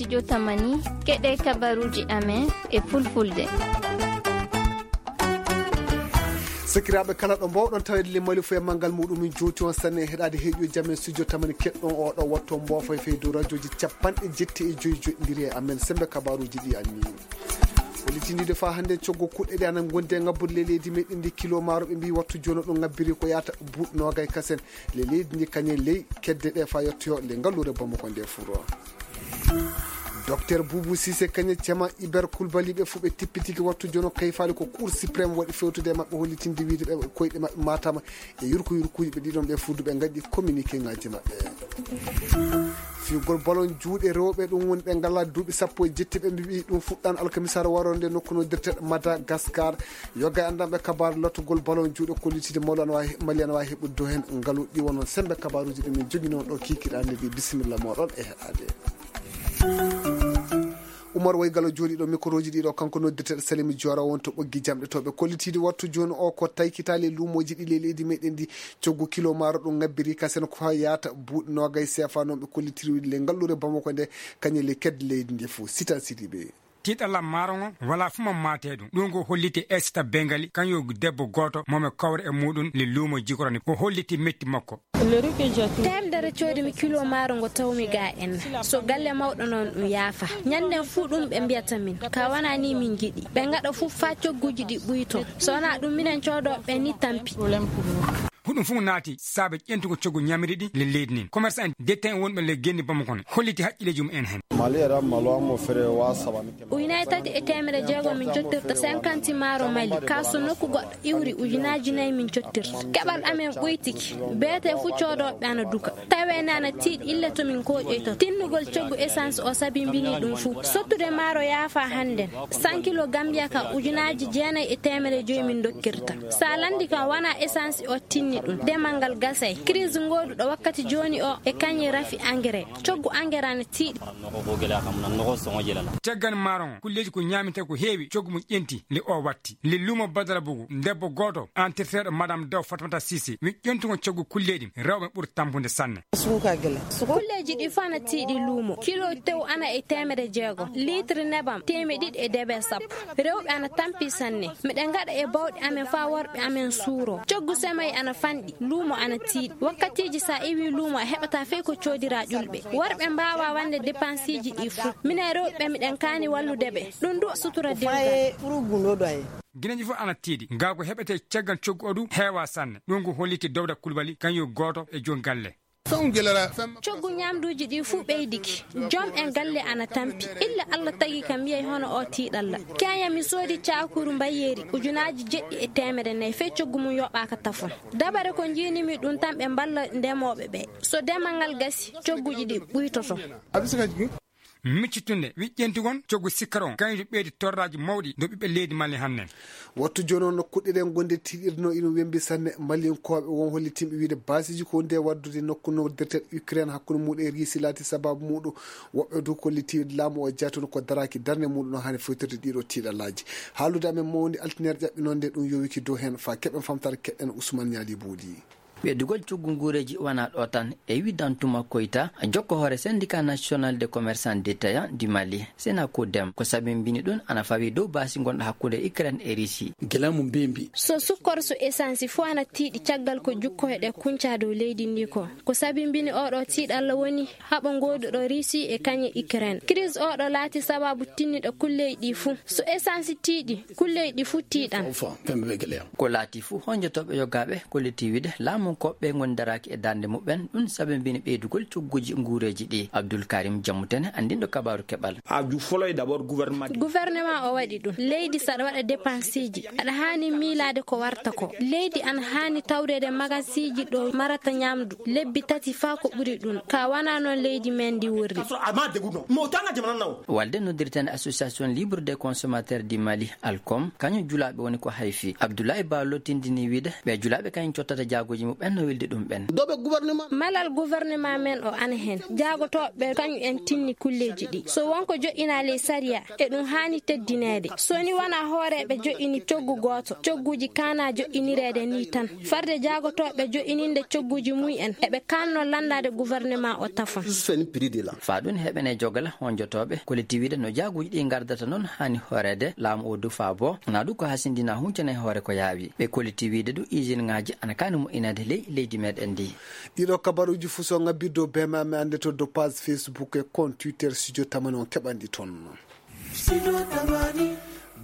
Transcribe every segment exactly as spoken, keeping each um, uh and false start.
Studio Tamani, keɗee kabaruuji amen e Fulfulde. Sakiraaɓe, kala ɗo mbaawɗon taweede le Mali fuu e manngal muuɗum, min jowti on sanne e heɗaade heɗiyo jam e studio Tamani keɗɗon oo ɗoo wattu on mboofa e fey dow rajooji capanɗe jetti e joy joɗɗindiri e amen semmbe kabaruuji ɗi anni. Hollitindiiɗo faa hannde coggu kuɗɗe ɗe ana ngondi e ŋabbude le leydi meɗen ndi kilo maaro ɓe mbii wattu jooni ɗum ŋabbiri ko yaata buuɗi noogay kasen. Le leydi ndi kañe ley kedde ɗe faa yettoyo le ngalluure Bamako nde furo. Docteur Boubou Cissé kañe cema Iber Koulibaly ɓe fuu ɓe tippitiki wattu jono kayfaali ko Cour suprême waɗi fewtude e maɓɓe hollitinde wiide ɓe koyɗe maɓɓe matama e yurko yurkuuji ɓe ɗiɗon ɓe fuu du ɓe ngaɗi communiqué ŋaaji maɓɓe. Fiyugol balon juuɗe rewɓe ɗum woni ɓe ngalaa duuɓi sappo e jetti ɓe mbiɓi ɗum fuɗɗan alkamisaare waroo nde nokku no dirteɗo Madagascar. Yoga e anndanɓe kabaaru lottugol balon juuɗe kollitiiɗo mawɗo ana waawi, Mali ana waawi heɓude dow heen ngalu ɗi wonoo semmbe kabaaruuji ɗi min njoginoo ɗoo kiikiiɗe hannde ɗi. Bisimilla mooɗon e heɗaade. Umar Way Galo jooɗiiɗo mikorooji ɗiɗo kanko noddirteeɗo Salimi Joora won to ɓoggi jamɗe to ɓe kollitiiɗi wattu jooni o ko taykitaali e luumooji ɗi ley leydi meɗen ndi. Coggu kilo maaro ɗum ŋabbiri kasen ko haa yaata buuɗi noogay seefa noon ɓe kollitiri le ngalluure Bamako nde kañe le kedde leydi ndi fof sita sidiɓe. Tiiɗalla maaro ngo walaa fuu mo maatee ɗum. Ɗum ko holliti Esita Bengali, kañum debbo gooto mo mi kawra e muuɗum le luumo jikorani. Ko holliti metti makko. Teemdere coodi mi kilo maaro ngo tawmi ga en. So galle mawɗo noon ɗum yaafa. Ñannden fuu ɗum ɓe mbiyata min. Ka wanaa nii min njiɗi. Ɓe ngaɗa fuu faa cogguuji ɗi ɓuyto. So wanaa ɗum minen coodooɓe ɓe nii tampi. Huɗum fuu naati saabe ƴentugo coggu ñamiri ɗi le leydi nin. Commerçant en, détaillant wonɓe le genni Bamako ne holliti haqqilleeji mum en hen. Mali era malo amo fere wa sabani. Ujunaaji tati e teemedde jeegom min cottirta cinquante maaro Mali. Kaa so nokku goɗɗo iwri ujunaaji nayi min cottirta. Keɓal amen ɓuytiki. Beetee fuu coodooɓe ana duka. Tawee ne ana tiiɗi illa to min kooƴoyta. Tinnugol coggu essence o sabimbinii ɗum fuu. Sottude maaro yaafaa hannden. Cent kilo Gambia ka ujunaaji jeenayi e teemedde joy min ndokkirta. Sa lanndi kam wanaa essence o tinni ɗum. Demal ngal gasay. Crise ngooduɗo wakkati jooni o e kañi rafi engrais. Coggu engrais ana tiiɗi. Caggal maaron kulleeji ko ñaamintee ko heewi coggu mum ƴenti nde o watti. Nde luumo Badara Bugu, debbo gooto, antirteeɗo Madame Daw Fatmata Sise, wi ƴentugol coggu kulleeɗi rewɓe ɓuri tampude sanne. Kulleeji ɗi fof ana tiiɗi luumo. Kilo tew ana e teemedde jeegom. Litre nebam teemedde ɗiɗi e debe sappo. Rewɓe ana tampi sanne. Miɗen ngaɗa e bawɗe amen faa worɓe amen suuroo. Coggu semay ana fanɗi. Luumo ana tiiɗi. Wakkatiiji sa iwii luumo a heɓataa fey ko coodiraa ƴulɓe. Worɓe mbaawaa waɗde depansiiji ɗii fuu. Minen rewɓe miɗen kaani wallude ɓe. Ɗum duu sutura dewgal. Gineeji fof ana tiiɗi. Ngaa ko heɓetee caggal coggu oo duu heewaa sanne. Ɗum ko holliti Dawda Kulbali, kañum gooto e joom galle. Coggu ñaamduuji ɗii fuu ɓeydike. Joom en galle ana tampi. Illa Alla tagi kam yiyay hono oo tiiɗalla. Keña mi soodi caakuru mbayeeri ujunaaji jeɗɗi e teemedde nayi fey coggu mum yoɓaaka tafon. Dabare ko njiimi ɗum tan ɓe mballa ndemooɓe ɓee. So demal ngal gasi, cogguuji ɗii ɓuytoto. Miccitunde, wi ƴentugon coggu sikkar on, kañum ɓeydi torraaji mawɗi dow ɓiɓɓe leydi Mali hannden. Wattu jooni on no kuɗɗe ɗen ngonde tiiɗirde no iɗum wembi sanne. Malinkooɓe won hollitinɓe wiide baasiiji ko nde waddude nokku noddirteeɗo Ukraine hakkunde muuɗum e Riisi laati sabaabu muuɗum. Woɓɓe duu kolliti wiide laamu o jaatunoo ko daraaki darnde muuɗum no haani fewtirde ɗiiɗoo tiiɗallaaji. Haaldude amen mawni altineere ƴaɓɓinoo nde ɗum yowiki dow heen faa keɓen famtaare keɗen Usman Ñaali Booli. Ɓeydugol coggu nguureeji wanaa ɗoo tan, e wii Dantuma Koyta, jokko hoore Syndicat National des Commerçants Détaillants du Mali, Senacodem, ko sabimbini ɗum ana fawii dow baasi ngonɗo hakkunde Ukraine e Riisi. Gila mo mbeembi. So sukkor so esansi fof ana tiiɗi caggal ko jukkoyɗe kuncaa dow leydi ndii ko. Ko sabimbini oo ɗoo tiiɗalla woni haɓo ngooduɗo Riisi e kañe Ukraine. Crise oo ɗoo laati sabaabu tinniɗo kulleeji ɗii fuu. So esansi tiiɗi, kulleeji ɗii fuu tiiɗan. Ko laati fuu, honjotooɓe yogaaɓe kolliti wiide laamunkooɓe ɓee ngoni daraaki e darnde muɓɓen, ɗum sabimbini ɓeydugol cogguuji nguureeji ɗii. Abdul Karim Jamutene, anndinɗo kabaaru keɓal. Gouvernement o waɗi ɗum. Leydi, so aɗa waɗa depansiiji, aɗa haani miilaade ko warta ko. Leydi ana haani tawreede magasiiji ɗo marata ñaamdu lebbi tati faa ko ɓuri ɗum. Kaa wanaa noon leydi men ndi worri. Walde noddirteende Association Libre des Consommateurs du Mali, Alcom, kañum julaaɓe woni ko hayfi. Abdoulaye Ba lottindinii wiide ɓee julaaɓe kañum cottata jaagooji muɓɓen Ɓen no weldi ɗum ɓen. Malal gouvernement men o ana hen. Jaagotooɓe kañum en tinni kulleeji ɗi. So won ko joɗɗinaa ley sariya, eɗum haani teddineede. So ni wanaa hooreeɓe joɗɗini coggu gooto, cogguuji kaanaa joɗɗinireede nii tan. Farde jaagotooɓe joɗɗininde cogguuji mum en, eɓe kaannoo lanndaade gouvernement o tafon. Faa ɗum heɓanee jogla honjotooɓe, kolliti wiide no jaaguuji ɗii ngardata non haani hooreede, laamu o du faa boo, naa du ko hasindinaa huncana e hoore ko yaawi. Ɓe kolliti wiide du isinŋaaji ana kaani moƴƴineede ley leydi meɗen ndii. Ɗiɗo kabaruuji fuu so ŋabbii dow bemame annde to dow page Facebook e compte Twitter Studio Tamani on keɓan ɗi toon.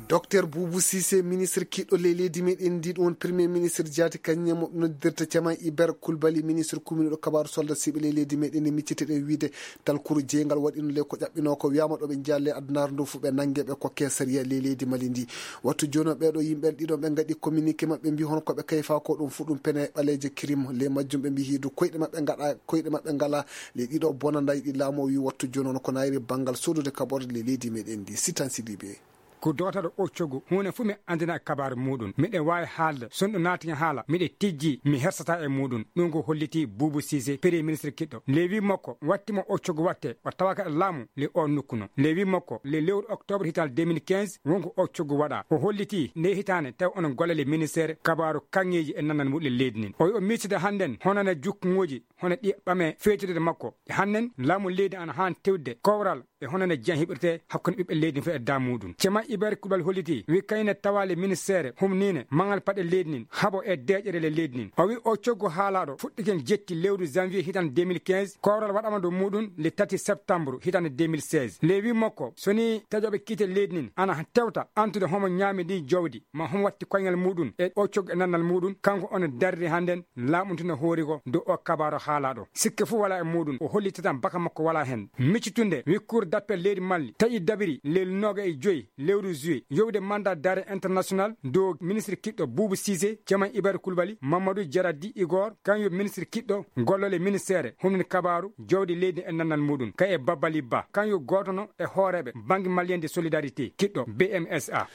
Docteur Boubou Cissé, ministre kiɗɗo ley leydi meɗen ndi, ɗum woni premier ministre jaati kañum e mo noddirta Ceman Iber Kulbali, ministre kuminiiɗo kabaaru soldat siɓe ley leydi meɗen ndi, miccete ɗen wiide talkuru jeyngal waɗino ley ko ƴaɓɓinoo ko wiyaama ɗo ɓe njeyaa ley adunaaru ndu fuu ɓe nannge ɓe kokkee sariya ley leydi Mali ndi. Wattu jooni o ɓeeɗo yimɓe ɗiɗo ɓe ngaɗi communiqué maɓɓe mbi hono ko ɓe kayfaa ko ɗum fuu ɗum pene ɓaleeje crime ley majjum ɓe mbi hiidu koyɗe maɓɓe ngaɗa koyɗe maɓɓe ngalaa. Ley ɗiɗo bonandaaji ɗi laamu o wii wattu jooni on ko naayiri banngal soodude kaɓorɗe ley leydi meɗen ndi. Sitan Sidibe. Ko dootaaɗo o coggu huunde fof mi anndina e kabaaru muuɗum. Miɗen waawi haalde, so ɗum naati e haala, miɗen tijji, mi hersataa e muuɗum. Ɗum ko hollitii Buubu Siise, premier ministre kiɗɗo. Ley wii makko, watti mo o coggu watte, o tawaka e laamu ley oo nokku no. Ley wii makko, ley lewru oktoobar hitaande deux mille quinze, won ko o coggu waɗaa. O hollitii ndee hitaande tawi onon golla ley ministeere kabaaru kaŋŋeeji e nannal muuɗum ley leydi ndin. O wii o miijtida hannden hono no jukkuŋooji hono ɗi ɓamee feewtireede makko. E hannden, laamu leydi ana haani tewtude kowral e hono no jam heɓirtee hakkunde ɓiɓɓe leydi fof e daamuuɗum. Ceerno Ibrahima Kulbali hollitii, wii kañum ne tawaa ley ministeere humniinde maŋal paɗe leydi ndin, haɓo e deeƴere ley leydi ndin. O wii oo coggu haalaaɗo fuɗɗike jetti lewru janvier hitaande deux mille quinze, kowral waɗaama dow muuɗum le tati septembre hitaande deux mille seize. Ley wii makko, so nii taƴooɓe kiite leydi ndin ana tewta antude homo ñaami ndin jawdi, maa homo watti koyngal muuɗum e oo coggu e nannal muuɗum, kanko ono darri hannden laaɓuntude hoore ko dow oo kabaaru haalaaɗo. Sikke fof walaa e muuɗum, o hollitii tan baka makko walaa hen. Miccitunde, wii Cour d'appel leydi Mali taƴi dabiri ley noogayi e joy lewru juillet, yowde mandat d'arrêt international dow ministre kiɗɗo Buubu Siise, Ceerno Ibrahima Kulbali, Mamadou Jaradi Igor, kañum yo ministre kiɗɗo golloo ley ministeere humninde kabaaru jawdi leydi e nannal muuɗum, kañum e Babali Ba, kañum yo gooto no e hooreeɓe Banque Malienne de Solidarité, kiɗɗo B M S A.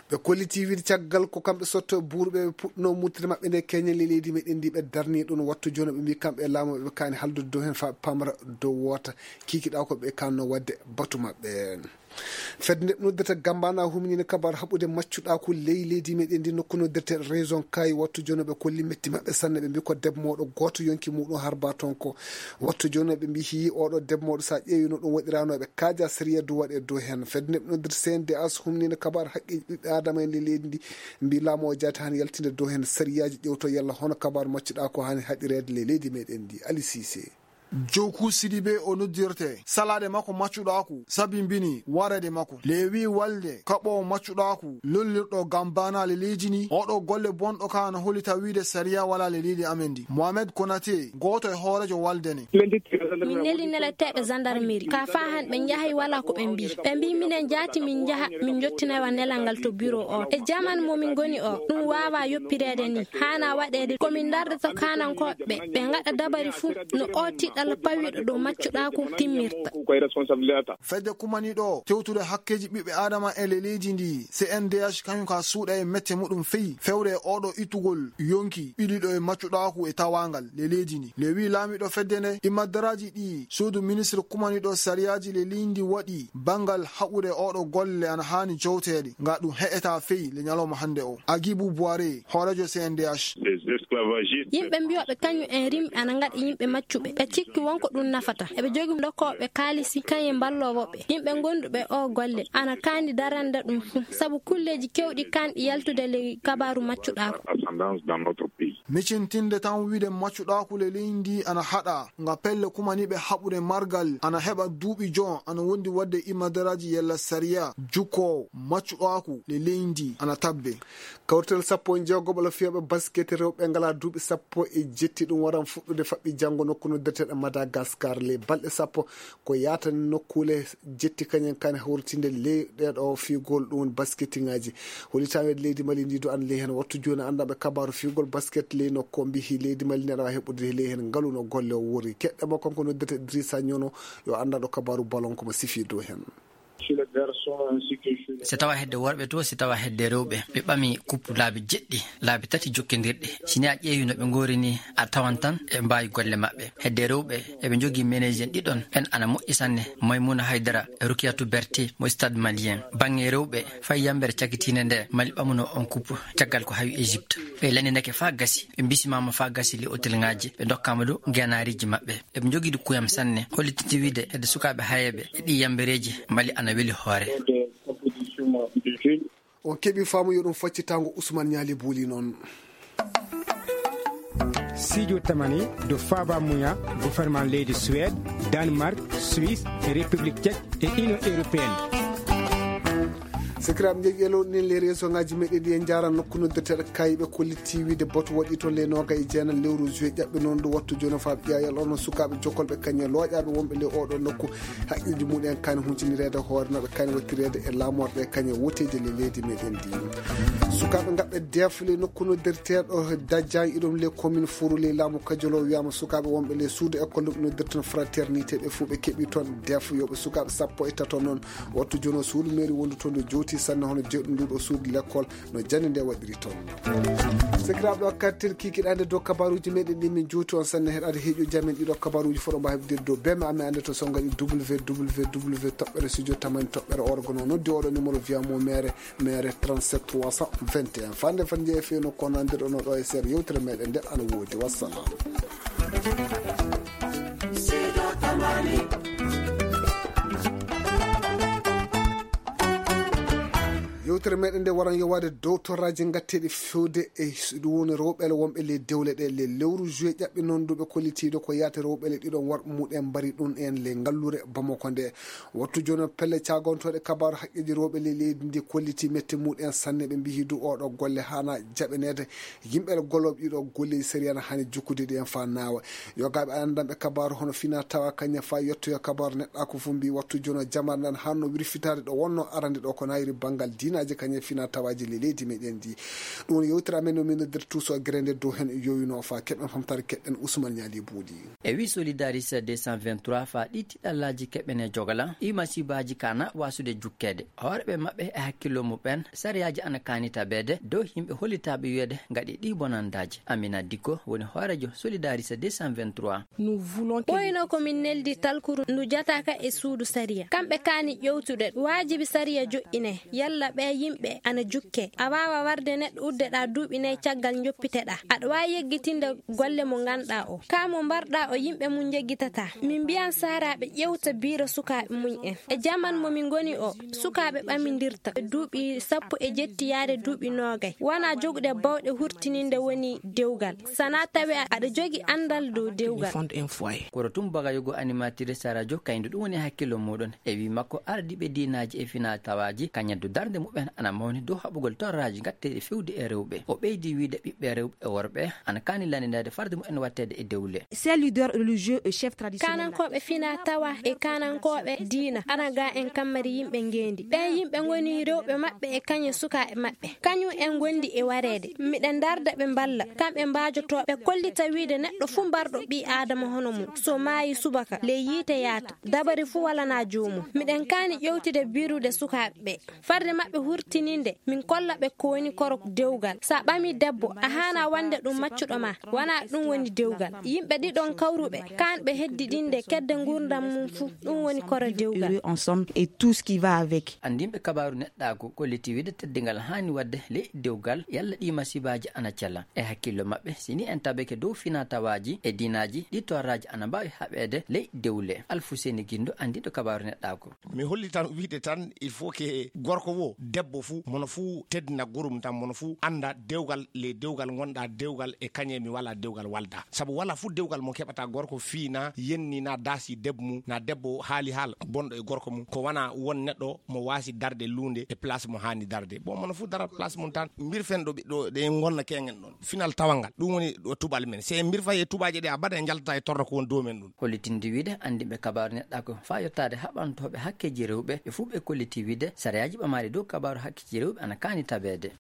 Ɓe kollitii wiide caggal ko kamɓe sotto e buuru ɓe, ɓe puɗɗunoo murtide maɓɓe nde keñen ley leydi meɗen ndi, ɓe darnii ɗum wattu jooni, ɓe mbii kamɓe e laamu ɓe kaani haaldude dow heen faa ɓe pamra dow woota kiikiɗaa ko ɓe kaannoo waɗde batu maɓɓe. Fedde nde ɓe noddirta Gambaana humniinde kabaaru haɓude maccuɗaaku ley leydi meɗen ndi, nokku noddirte Région Kayi, wattu jooni ɓe kolli metti maɓɓe sanne, ɓe mbii ko debbo mawɗo gooto yonki muuɗum harbaa toon ko. Wattu jooni ɓe mbii hii ooɗo debbo mawɗo, so a ƴeewii no ɗum waɗiraa no, eɓe kaajaa sariya du waɗee dow heen. Fedde nde ɓe noddirta C N D H humniinde kabaaru haqqeeji ɓiɓɓe aadama en ley leydi ndi, mbii laamu o jaati haani yaltinde dow heen sariyaaji, ƴeewtoo yalla hono kabaaru maccuɗaaku haani haɓireede ley leydi meɗen ndi. Ali Siise. Joku Sidibe o noddirtee. Salaade makko maccuɗaaku sabimbinii wareede makko. Ley wii walde kaɓoowo maccuɗaaku lollirɗo Gambaana ley leydi ndi, ooɗo golle bonɗo kaa no hollita wiide sariya walaa ley leydi amen ndi. Mohamed Konate, gooto e hooreejo walde nden. Min neli neleteeɓe gendarmerie, kaa faa hannde ɓe njahay walaa ko ɓe mbii. Ɓe mbii minen jaati min njaha, min njottinoya nelal ngal to bureau o. E jaman mo min ngoni o, ɗum waawaa yoppireede nii. Haanaa waɗeede ko min ndarda to kaanankooɓe ɓe, ɓe ngaɗa dabari fuu no oo tiiɗalla pawiiɗo dow maccuɗaaku timmirta. Fedde kumaniiɗo tewtude hakkeeji ɓiɓɓe aadama e ley leydi ndi, C N D H, kañum kaa suuɗa e mette muɗum fey fewre e ooɗo ittugol yonki ɓiliiɗo e maccuɗaaku e tawaangal ley leydi ndi. Ley wii laamiiɗo fedde nde, immadaraaji ɗi suudu ministre kumaniiɗo sariyaaji ley leydi ndi waɗi banngal haɓude ooɗo golle ana haani jowteede, nga ɗum heƴataa fey le ñalawma hannde o. Agibu Buware, hooreejo C N D H. Yimɓe mbiyooɓe kañum en rimɓe ana ngaɗa yimɓe maccuɓe. Ɓe cikki won ko ɗum nafata. Eɓe jogii dokkooɓe kaalisi kañum e mballoowo ɓe. Yimɓe gonduɓe oo golle ana kaani darande ɗum fuu. Sabu kulleeji keewɗi kaanɗi yaltude ley kabaaru maccuɗaaku. Micintinde tan wiide maccuɗaaku ley leydi ndi ana haɗaa, nga pelle kumaniiɓe haɓude margal ana heɓa duuɓi jon ana wondi waɗde immadaraaji yalla sariya jukkoowo maccuɗaaku ley leydi ndi ana tabbe. Kawrital sappo e jeegoɓal fiyooɓe basket rewɓe ngalaa duuɓi sappo e jetti ɗum waran fuɗɗude faɓɓi janngo nokku noddirteeɗo Madagascar ley balɗe sappo ko yaatani nokkuule jetti kañum en kaani hawritinde ley ɗeeɗo fiigol ɗum woni basketiŋaaji. Hollitaango leydi Mali ndi du ana ley heen wattu jooni anndanɓe kabaaru fiigol basket ley nokku o mbii leydi Mali ndi aɗa waawi heɓude ley heen ngalu no golle o wuuri. Keɗɗe mo kanko noddirta Idrissa Ñono yo anndanɗo kabaaru balon ko mo sifii dow heen. Si tawa hedde worɓe to, si tawa hedde rewɓe, ɓe ɓami kuppu laabi jeɗɗi, laabi tati jokkondirɗi. Si ni a ƴeewi no ɓe ngoori ni, a tawan tan e mbaawi golle maɓɓe. Hedde rewɓe, eɓe njogii meneeji en ɗiɗon, ɓen ana moƴƴi sanne, Maymuna Haydara e Rukiyatu Berti mo Stade Malien. Baŋŋe rewɓe, fay yambere cakitiinde nde, Mali ɓamuno on kuppu, caggal ko hawi Egypte. Ɓe lanndinake faa gasi, ɓe mbisimaama faa gasi ley otelŋaaji, ɓe ndokkaama dow ngeenaariiji maɓɓe. Eɓe njogii kuyam sanne, hollitinde wiide hedde sukaaɓe hayeeɓe e ɗii yambereeji, Mali ana weli hoore. On keɓii faamu yo ɗum faccitaango Usman Ñaali Buuli noon. Siijo tamani do faaba muya, gouvernement leydi Suède, Danemark, Suisse e République Tchèque e Union Européenne. Sakiraaɓe, njeeƴi e lowɗi ɗin ley réseau ŋaaji meɗen ɗi, en njaara nokku noddirteeɗo Kayi. Ɓe kollitii wiide batu waɗii toon ley noogay e jeenayi lewru juillet ƴaɓɓe noon ɗo wattu jooni faa ɓiyaayal on sukaaɓe jokolɓe kañum e looƴaaɓe wonɓe ley oo ɗoo nokku. Haqqeeji mumen kaani huntinireede hoore no ɓe kaani wattireede e laamorɗe kañum e woteeji ley leydi meɗen ndi. Sukaaɓe ngaɓɓe deef ley nokku noddirteeɗo Dajjan iɗum ley commune Furu ley laamu Kajolo wiyaama sukaaɓe wonɓe ley suudu école ɗum noddirten fraternité ɓe fuu ɓe keɓii toon deef yooɓe sukaaɓe sappo e tato noon. Wattu jooni o suudu mairie wondu toon ndu jowtii sanne hono jeyɗo nduu ɗoo suudu lekkol no jannde nde waɗiri toon. Sakiraaɓe, ɗo kartir kikiɗaande dow kabaaruuji meɗen ɗi min juuti on sanne heɗaade heeƴuuji amen ɗiɗo kabaaruuji fof ɗo mbaawi heɓde dow beme amen annde to sonnga ɗi www toɓɓere studio tamani toɓɓere org no noddi oɗo numéro via mo mere mere trente-sept trois cent vingt et un. Fande fande jeeya fewno kono anndirɗo no ɗo e seeɗa yewtere meɗen nde ana woodi. Wassalam. Yewtere meɗen nde waran yowaade dow torraaji ngatteeɗi fewde e s-, ɗum woni rewɓe wonɓe ley dewle ɗe. Ley lewru juillet ƴaɓɓi noon ndu ɓe kollitiiɗo ko yaate rewɓe ɗiɗon worɓe muɗen mbari ɗum en ley ngalluure Bamako nde. Wattu jooni pelle caagantooɗe kabaaru haqqeeji rewɓe ley leydi ndi kollitii mette muɗen sanne. Ɓe mbiyi du oɗo golle haana jaɓaneede. Yimɓe gollooɓe ɗiɗo golleeji sariya na haani jokkude ɗi en faa naawa. Yogaaɓe anndanɓe kabaaru hono fina tawa kañum faa yettoyo kabaaru neɗɗaaku fof mbii wattu jooni o jamaare nde haanno wirfitaade ɗo wonno arande ɗo ko naayiri banngal diinaaji kañum e fina tawaaji ley leydi meɗen ndi. Ɗum woni yewtere amen no min noddirta tuuso gere nde dow hen yowino faa keɓen famtaare keɗɗen Usman Ñaali Buuɗi. E wii Solidaris deux cent vingt-trois faa ɗi tiɗallaaji keɓen e jogala, ɗi masiibaaji kaana waasude jukkeede. Hooreɓe maɓɓe e hakkillo muɓɓen, sariyaaji ana kaani tabeede dow yimɓe hollitaaɓe wiyeede ngaɗi ɗii bonandaaji. Amina Dikko woni hooreejo Solidaris deux cent vingt-trois. Ɓooyno ko min neldi talkuru ndu jataaka e suudu sariya. Kamɓe kaani ƴewtude, waajibi sariya joƴƴinee, yalla ɓee yimɓe ana jukkee. A waawa warde neɗɗo uddeɗaa duuɓi nay caggal njoppiteɗaa. Aɗa waawi yeggitinde golle mo nganɗaa o. Kaa mo mbarɗaa o yimɓe mum njeggitataa. Min mbiyan saaraaɓe ƴewta biiro sukaaɓe mum en. E jaman mo min ngoni o, sukaaɓe ɓamindirta e duuɓi sappo e jetti yaade duuɓi noogay. Wanaa jogude bawɗe hurtininde woni dewgal. Sanaa tawee aɗa jogi anndal dow dewgal. Koro tun bagayogo animatrice radio kaydu ɗum woni hakkillo muɗum. E wii makko, ardiiɓe diinaaji e finaa tawaaji, kañum du darnde muɓɓen ana mawni dow haɓugol torraaji ngatteeɗi fewde e rewɓe. O ɓeydi wiide ɓiɓɓe rewɓe e worɓe ana kaani lanndinaade farde muɓɓen watteede e dewle. Ces leaders religieux et chefs traditionnels. Kaanankooɓe finaa tawaa e kaanankooɓe diina ana gaa en kammari yimɓe ngeendi. Ɓee yimɓe ngoni rewɓe maɓɓe e kañum sukaaɓe maɓɓe. Kañum en ngondi e wareede. Miɗen ndarda ɓe mballa. Kamɓe mbaajotoo ɓe kollita wiide neɗɗo fuu mbarɗo ɓii Aadama hono mum, so maayi subaka, ley yiite yaata. Dabare fuu walanaa joomum. Miɗen kaani ƴewtude biirude sukaaɓe ɓee. Farde maɓɓe hurtininde, min kolla ɓe ko woni koro dewgal. So a ɓamii debbo, a haanaa wonde ɗum maccuɗo maa. Wanaa ɗum woni dewgal. Yimɓe ɗiɗon kawruɓe, kaanɓe heddiɗinde kedde nguurndam mum fuu, ɗum woni koro dewgal. Heureux ensemble et tout ce qui va avec. Anndinɓe kabaaru neɗɗaaku kollitii wiide teddingal haani waɗde ley dewgal, yalla ɗii masiibaaji ana cela. E hakkillo maɓɓe, si ni en tabike dow finaa tawaaji e diinaaji, ɗii torraaji ana mbaawi haɓeede ley dewle. Alfuseni Gindo, anndinɗo kabaaru neɗɗaaku. Mi holli tan wiide tan, il faut que gorko wo, debbo fuu, mono fuu teddina gorum tan, mono fuu annda dewgal, le dewgal ngonɗaa dewgal e kañe mi walaa dewgal walda. Sabu walaa fuu dewgal mo keɓata gorko fii na yenni na daasi debbo mum, na debbo haali haala bonɗo e gorko mum. Ko wanaa won neɗɗo mo waasi darde luunde e place mo haani darde. Bon, mono fuu dara place mum tan, mbirfen ɗo ɓiɗɗo ɗe ngonna keŋen ɗon. Final tawal ngal. Ɗum woni ɗo tubaali men. Se en mbirfay e tubaaje ɗe, abada en njaltataa e torra ko woni dow men ɗum. Hollitinde wiide, anndinɓe kabaaru neɗɗaaku faa yottaade haɓantooɓe hakkeeji rewɓe, ɓe fuu ɓe kollitii wiide, sariyaaji ɓamaaɗi dow kabaaru hakkeeji rewɓe ana kaani tabeede.